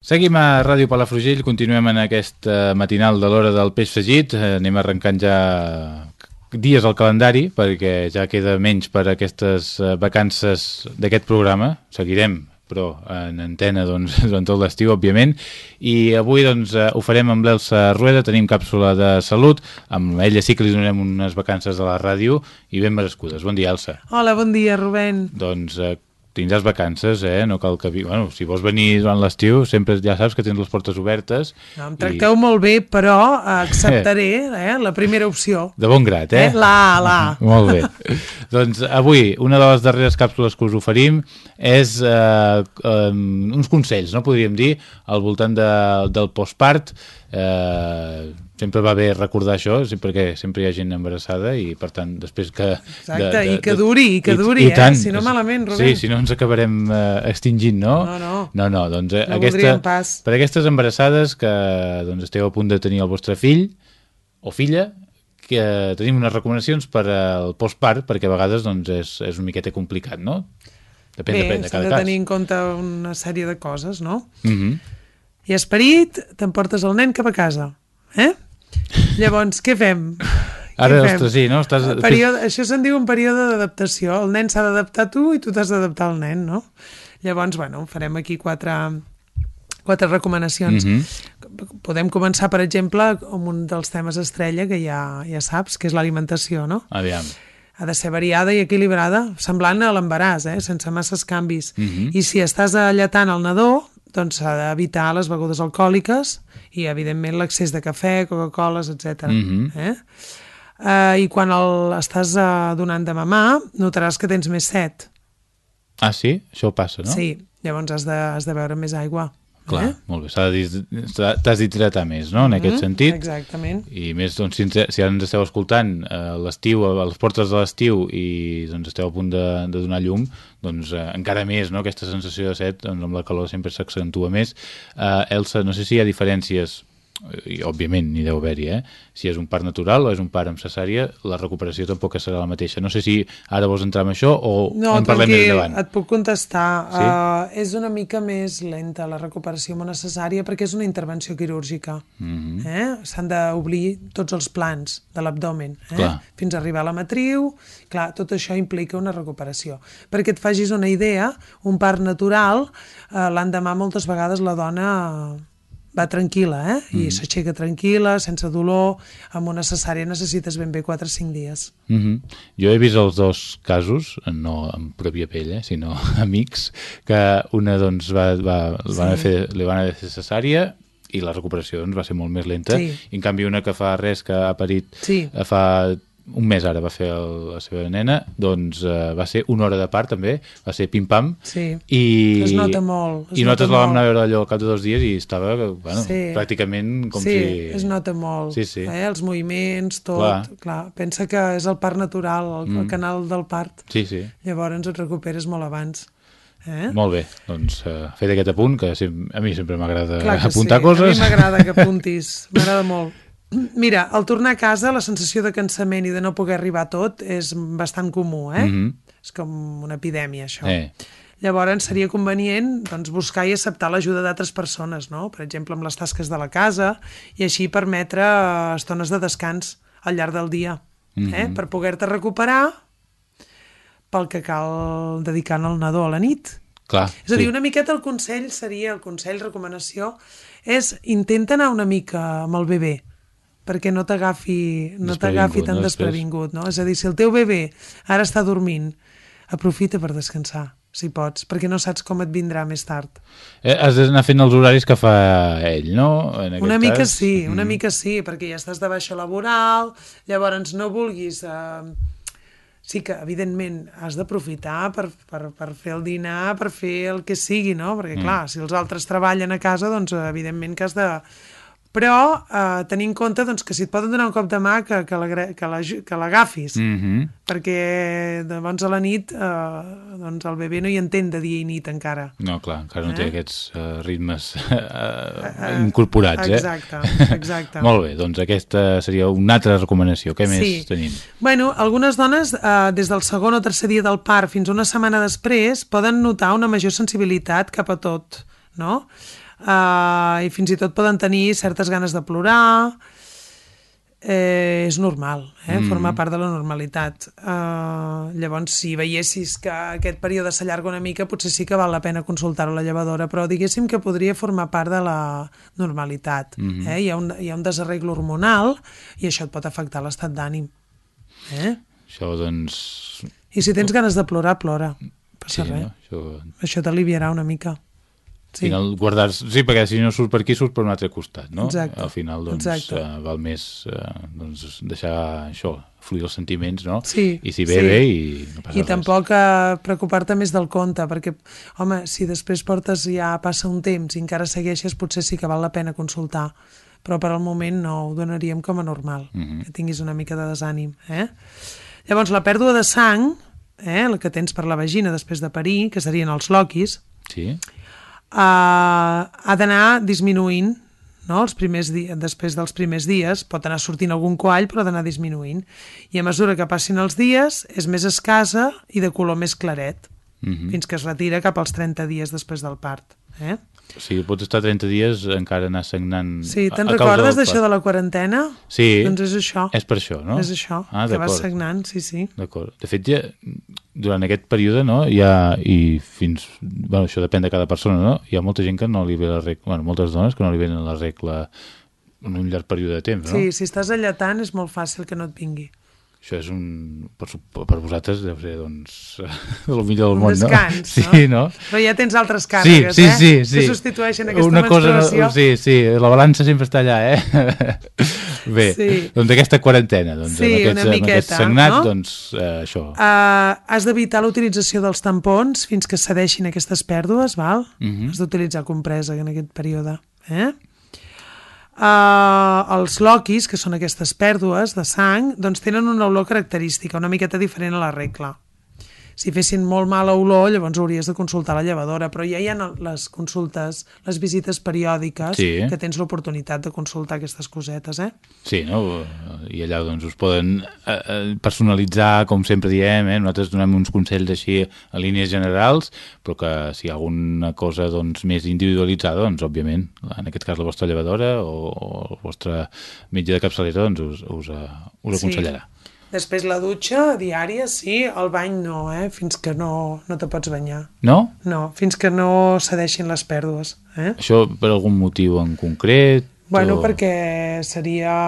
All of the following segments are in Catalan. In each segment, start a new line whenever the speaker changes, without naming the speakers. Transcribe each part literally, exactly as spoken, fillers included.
Seguim a Ràdio Palafrugell, continuem en aquesta matinal de l'hora del peix fregit. Anem arrencant ja dies al calendari, perquè ja queda menys per a aquestes vacances d'aquest programa. Seguirem, però en antena doncs, durant tot l'estiu, òbviament. I avui doncs, ho farem amb l'Elsa Rueda, tenim càpsula de salut. Amb ella sí que li donem unes vacances a la ràdio i ben merescudes. Bon dia, Elsa.
Hola, bon dia, Rubén.
Doncs tindràs vacances, eh? No cal que... Bueno, si vols venir durant l'estiu, sempre ja saps que tens les portes obertes.
No, em tracteu i... molt bé, però acceptaré eh, la primera opció.
De bon grat, eh?
eh? La, la.
Molt bé. Doncs avui, una de les darreres càpsules que us oferim és eh, um, uns consells, no podríem dir, al voltant de, del postpart. Eh, sempre va bé recordar això, perquè sempre hi ha gent embarassada i, per tant, després que...
Exacte, de, de, i que duri, i que duri, i, i eh? Tant, si no malament, Rubén.
Sí, si no ens acabarem eh, extingint, no?
No, no.
No, no, doncs
no
aquesta,
pas.
Per aquestes embarassades que doncs, esteu a punt de tenir el vostre fill o filla, que tenim unes recomanacions per al postpart, perquè a vegades doncs, és, és una miqueta complicat, no? Depèn,
bé,
depèn de cada
cas. Bé, s'ha de tenir
cas.
en compte una sèrie de coses, no?
Mhm.
I esperit, t'emportes el nen cap a casa, eh? Llavors, què fem?
Ara,
què fem?
ostres, sí, no? Estàs...
Període, això se'n diu un període d'adaptació. El nen s'ha d'adaptar a tu i tu t'has d'adaptar al nen, no? Llavors, bueno, farem aquí quatre, quatre recomanacions. Mm-hmm. Podem començar, per exemple, amb un dels temes estrella que ja, ja saps, que és l'alimentació, no?
Aviam.
Ha de ser variada i equilibrada, semblant a l'embaràs, eh? Sense masses canvis. Mm-hmm. I si estàs alletant el nadó, doncs s'ha d'evitar les begudes alcohòliques i, evidentment, l'accés de cafè, Coca-Coles, etcètera. Mm-hmm. eh? Uh, I quan el estàs uh, donant de mamar, notaràs que tens més set.
Ah, sí? Això passa, no?
Sí, llavors has de, has de beure més aigua.
Clar,
eh?
molt bé. T'has d'hidratar més, no?, en mm-hmm. aquest sentit.
Exactament.
I més, doncs, si, si ara ens esteu escoltant a l'estiu, a les portes de l'estiu, i doncs, esteu a punt de, de donar llum, doncs eh, encara més, no?, aquesta sensació de set, doncs, amb la calor sempre s'accentua més. Uh, Elsa, no sé si hi ha diferències, i òbviament n'hi deu haver-hi, eh? Si és un part natural o és un part amb cesària, la recuperació tampoc serà la mateixa. No sé si ara vols entrar en això o
no,
en parlem més endavant.
No, et puc contestar.
Sí?
Uh, és una mica més lenta la recuperació amb una cesària perquè és una intervenció quirúrgica. Mm-hmm. eh? S'han d'obrir tots els plans de l'abdomen, eh? fins a arribar a la matriu. Clar, tot això implica una recuperació. Perquè et facis una idea, un part natural, uh, l'endemà moltes vegades la dona... va tranquil·la, eh? I mm-hmm. s'aixeca tranquil·la, sense dolor. Amb una cesària necessites ben bé quatre o cinc dies.
Mm-hmm. Jo he vist els dos casos, no en pròpia pell, eh? Sinó amics, que una doncs va, va, sí. van fer, li van haver de fer cesària i la recuperació doncs, va ser molt més lenta. Sí. I en canvi una que fa res, que ha parit sí. fa... un mes ara va fer el, la seva nena, doncs uh, va ser una hora de part també, va ser pim-pam.
Sí,
i,
es nota molt. Es
I nosaltres
nota
la vam anar a veure allò al cap de dos dies i estava, bueno, sí. pràcticament com
sí,
si...
Sí, es nota molt.
Sí, sí.
Eh? Els moviments, tot.
Clar.
Clar. Pensa que és el part natural, el, mm. el canal del part.
Sí, sí.
Llavors et recuperes molt abans. Eh?
Molt bé, doncs uh, fet aquest apunt, que a mi sempre m'agrada apuntar
sí.
coses.
A mi m'agrada que apuntis, m'agrada molt. Mira, al tornar a casa la sensació de cansament i de no poder arribar a tot és bastant comú, eh? Mm-hmm. És com una epidèmia, això. Eh. Llavors seria convenient doncs, buscar i acceptar l'ajuda d'altres persones, no? Per exemple, amb les tasques de la casa, i així permetre estones de descans al llarg del dia, mm-hmm. eh? Per poder-te recuperar pel que cal dedicant al nadó a la nit.
Clar,
és a dir,
sí.
una miqueta el consell seria, el consell, recomanació, és intenta anar una mica amb el bebè, perquè no t'agafi no t'agafi tan no desprevingut, no? És a dir, si el teu bebè ara està dormint, aprofita per descansar, si pots, perquè no saps com et vindrà més tard.
Eh, has d'anar fent els horaris que fa ell, no? En aquest
una mica
cas.
sí, una mm. mica sí, perquè ja estàs de baixa laboral, llavors no vulguis... Eh... Sí que, evidentment, has d'aprofitar per, per, per fer el dinar, per fer el que sigui, no? Perquè, mm. clar, si els altres treballen a casa, doncs, evidentment que has de... Però eh, tenir en compte doncs, que si et poden donar un cop de mà que, que l'agafis, mm-hmm. perquè llavors a la nit eh, doncs el bebè no hi entén de dia i nit encara.
No, clar, encara no eh? té aquests uh, ritmes uh,
uh,
incorporats.
Exacte,
eh?
exacte.
Molt bé, doncs aquesta seria una altra recomanació. Què
sí.
més tenim?
Bueno, algunes dones, eh, des del segon o tercer dia del part fins una setmana després, poden notar una major sensibilitat cap a tot, no? uh, i fins i tot poden tenir certes ganes de plorar. Eh, és normal, eh? Mm. Forma part de la normalitat. Uh, llavors, si veiessis que aquest període s'allarga una mica, potser sí que val la pena consultar-ho a la llevadora, però diguéssim que podria formar part de la normalitat. Mm. Eh? Hi ha un, hi ha un desarreglo hormonal i això et pot afectar l'estat d'ànim. Eh?
Això, doncs...
I si tens ganes de plorar, plora. Passa
sí,
res.
No? Això...
això t'aliviarà una mica.
Sí. Final, guardar... sí, perquè si no surt per aquí, surt per un altre costat, no?
Exacte.
Al final, doncs, uh, val més uh, doncs, deixar això, fluir els sentiments, no?
Sí,
I si ve,
sí.
bé i no passa
I
res.
tampoc uh, preocupar-te més del compte, perquè, home, si després portes ja passa un temps i encara segueixes, potser sí que val la pena consultar, però per al moment no, ho donaríem com a normal, uh-huh. que tinguis una mica de desànim. Eh? Llavors, la pèrdua de sang, eh, la que tens per la vagina després de parir, que serien els loquis,
sí.
Uh, ha d'anar disminuint, no? Els primers dies, després dels primers dies pot anar sortint algun coall, però ha d'anar disminuint, i a mesura que passin els dies és més escassa i de color més claret, mm-hmm. fins que es retira cap als trenta dies després del part. Eh?
O sigui, pots estar trenta dies encara anar sagnant...
Sí, te'n recordes d'això de la quarantena?
Sí,
doncs és això.
És per això, no?
És això,
ah,
que vas sagnant, sí, sí.
D'acord. De fet, ja, durant aquest període, no, hi ha, i fins... Bueno, això depèn de cada persona, no? Hi ha molta gent que no li ve la regla... Bueno, moltes dones que no li venen la regla en un llarg període de temps, no?
Sí, si estàs alletant és molt fàcil que no et vingui.
Això és un... Per, per vosaltres deu ser, doncs, el millor del
un
món,
descans,
no?
no?
Sí, no?
Però ja tens altres càrregues,
sí, sí,
eh?
Sí, sí,
que substitueixen aquesta
una
menstruació.
Cosa, sí, sí, la balança sempre està allà, eh? Bé,
sí.
doncs aquesta quarantena, doncs,
sí,
amb aquests,
miqueta,
amb aquests sagnats,
no?
doncs, eh, això.
Uh, has d'evitar la utilització dels tampons fins que cedeixin aquestes pèrdues, val?
Uh-huh.
Has d'utilitzar compresa en aquest període, eh? Uh, els loquis, que són aquestes pèrdues de sang, doncs tenen una olor característica, una miqueta diferent a la regla. Si fessin molt mala olor, llavors hauries de consultar la llevadora, però ja hi ha les consultes, les visites periòdiques,
sí.
que tens l'oportunitat de consultar aquestes cosetes, eh?
Sí, no? I allà doncs us poden eh, personalitzar, com sempre diem, eh? Nosaltres donem uns consells així a línies generals, però que si hi ha alguna cosa doncs, més individualitzada, doncs òbviament, en aquest cas la vostra llevadora o, o el vostre metge de capçalera doncs us, us, us aconsellarà.
Sí. Després la dutxa diària, sí, el bany no, eh? Fins que no, no te pots banyar.
No?
No, fins que no cedeixin les pèrdues. Eh?
Això per algun motiu en concret?
Bueno,
o...
perquè seria...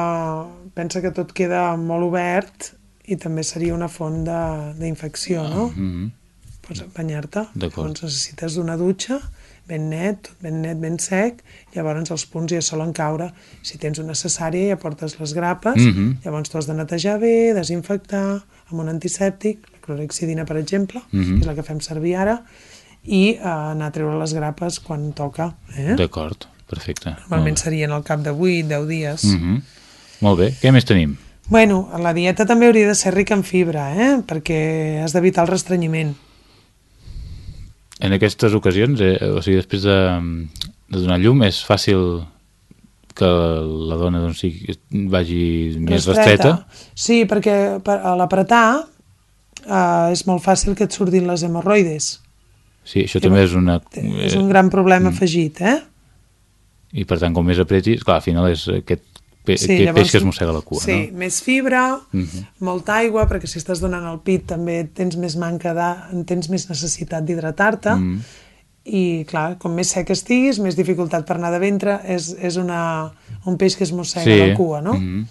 Pensa que tot queda molt obert i també seria una font d'infecció, no?
Mm-hmm.
Pots banyar-te.
D'acord.
Llavors necessites una dutxa ben net, tot ben net, ben sec, llavors els punts ja solen caure. Si tens una cesària ja portes les grapes,
mm-hmm.
llavors tu has de netejar bé, desinfectar amb un antisèptic, la clorhexidina, per exemple, mm-hmm. que és la que fem servir ara, i eh, anar a treure les grapes quan toca. Eh?
D'acord, perfecte.
Normalment serien al cap de vuit a deu dies.
Mm-hmm. Molt bé, què més tenim?
Bueno, la dieta també hauria de ser rica en fibra, eh? Perquè has d'evitar el restrenyiment.
En aquestes ocasions, eh, o sigui, després de, de donar llum, és fàcil que la dona doncs, sigui, vagi més restreta?
Sí, perquè per, a l'apretar eh, és molt fàcil que et surtin les hemorroides.
Sí, això que també és una...
És un gran problema mm. afegit, eh?
I per tant, com més apretis, clar, al final és aquest Pe
sí,
aquest
llavors,
peix que es mossega la cua,
sí,
no?
Sí, més fibra,
uh-huh.
molta aigua, perquè si estàs donant el pit també tens més manca de, tens més necessitat d'hidratar-te, uh-huh. i clar, com més sec estiguis, més dificultat per anar de ventre, és, és una, un peix que es mossega sí. la cua, no? Uh-huh.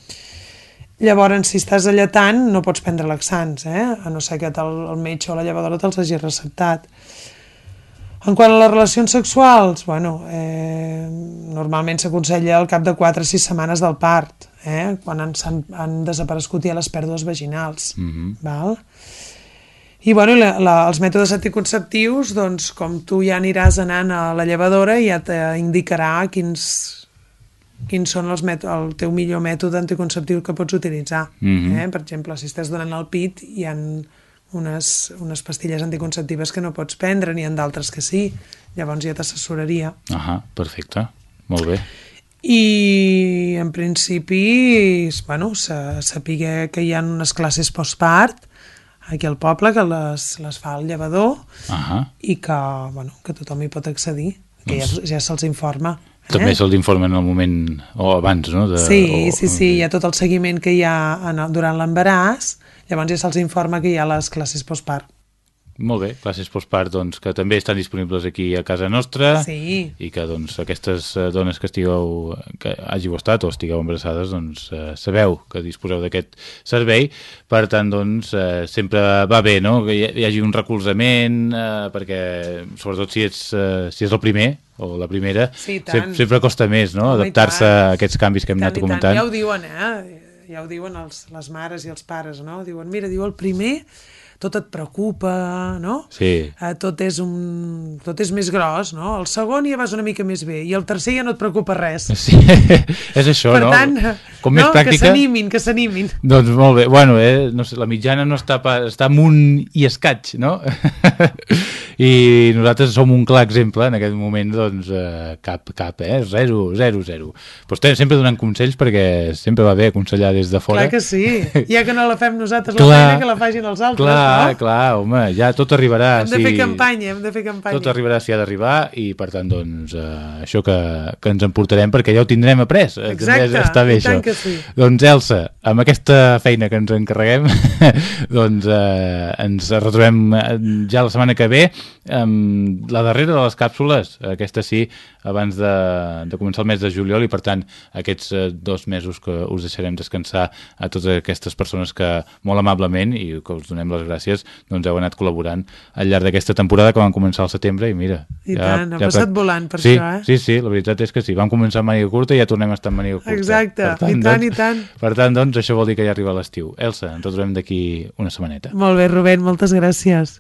Llavors, si estàs alletant, no pots prendre laxants, eh? A no ser que el, el metge o la llevadora te'ls hagi receptat. En quant a les relacions sexuals, bueno, eh, normalment s'aconsella al cap de quatre a sis setmanes del part, eh, quan han, han, han desaparegut ja les pèrdues vaginals. Mm-hmm. Val? I bueno, la, la, els mètodes anticonceptius, doncs, com tu ja aniràs anant a la llevadora, ja t'indicarà quins, quins són els mètodes, el teu millor mètode anticonceptiu que pots utilitzar. Mm-hmm. eh? Per exemple, si estàs donant el pit, hi ha unes, unes pastilles anticonceptives que no pots prendre, n'hi ha d'altres que sí, llavors ja t'assessoraria.
Ah, perfecte, molt bé.
I en principi, bueno, saber que hi ha unes classes postpart aquí al poble, que les, les fa el llevador, uh-huh. i que, bueno, que tothom hi pot accedir. que ja, ja se'ls informa. Eh?
També se'ls informa en el moment, o abans, no? De,
sí,
o,
sí, sí, hi ha tot el seguiment que hi ha en el, durant l'embaràs, llavors ja se'ls informa que hi ha les classes postpart.
Molt bé, classes postpart, doncs, que també estan disponibles aquí a casa nostra,
sí.
i que doncs, aquestes dones que estigueu, que hàgiu estat o estigueu embarassades, doncs, eh, sabeu que disposeu d'aquest servei. Per tant, doncs, eh, sempre va bé, no?, que hi, hi hagi un recolzament, eh, perquè, sobretot si ets, eh, si és el primer o la primera,
sí,
sempre, sempre costa més, no?, adaptar-se a aquests canvis que hem anat comentant.
Ja ho diuen, eh? Ja ho diuen els, les mares i els pares, no? Diuen, mira, diu, el primer tot et preocupa, no?
Sí.
Eh, tot és un... tot és més gros, no? El segon ja vas una mica més bé, i el tercer ja no et preocupa res.
Sí, és això,
per
no?
Per tant,
com
no,
més pràctica...
que s'animin, que s'animin.
Doncs molt bé, bueno, eh, no sé, la mitjana no està, pa, està amunt i escaig, no? I nosaltres som un clar exemple en aquest moment, doncs, eh, cap, cap, eh? Zero, zero, zero. Però estem sempre donant consells perquè sempre va bé aconsellar des de fora.
Clar que sí, ja que no la fem nosaltres, clar, la feina que la facin els altres,
clar,
no?
Clar, clar, home, ja tot arribarà.
Hem de si... fer campanya, hem de fer campanya.
Tot arribarà si ha d'arribar i, per tant, doncs, eh, això que, que ens emportarem, perquè ja ho tindrem après.
Exacte,
està bé,
i tant
això.
Que sí.
Doncs, Elsa, amb aquesta feina que ens encarreguem, doncs eh, ens retrobem ja la setmana que ve amb la darrera de les càpsules, aquesta sí, abans de, de començar el mes de juliol, i per tant aquests eh, dos mesos que us deixarem descansar a totes aquestes persones que molt amablement, i que us donem les gràcies, doncs heu anat col·laborant al llarg d'aquesta temporada que vam començar al setembre, i mira...
I
ja,
tant, ha
ja
passat volant per
sí,
això, eh?
Sí, sí, la veritat és que sí, vam començar amb màniga curta i ja tornem a estar amb màniga curta.
Exacte, tant, i tant, doncs, i tant.
Per tant, doncs, això vol dir que ja arriba l'estiu. Elsa, ens retrobem d'aquí una setmaneta.
Molt bé, Rubén, moltes gràcies.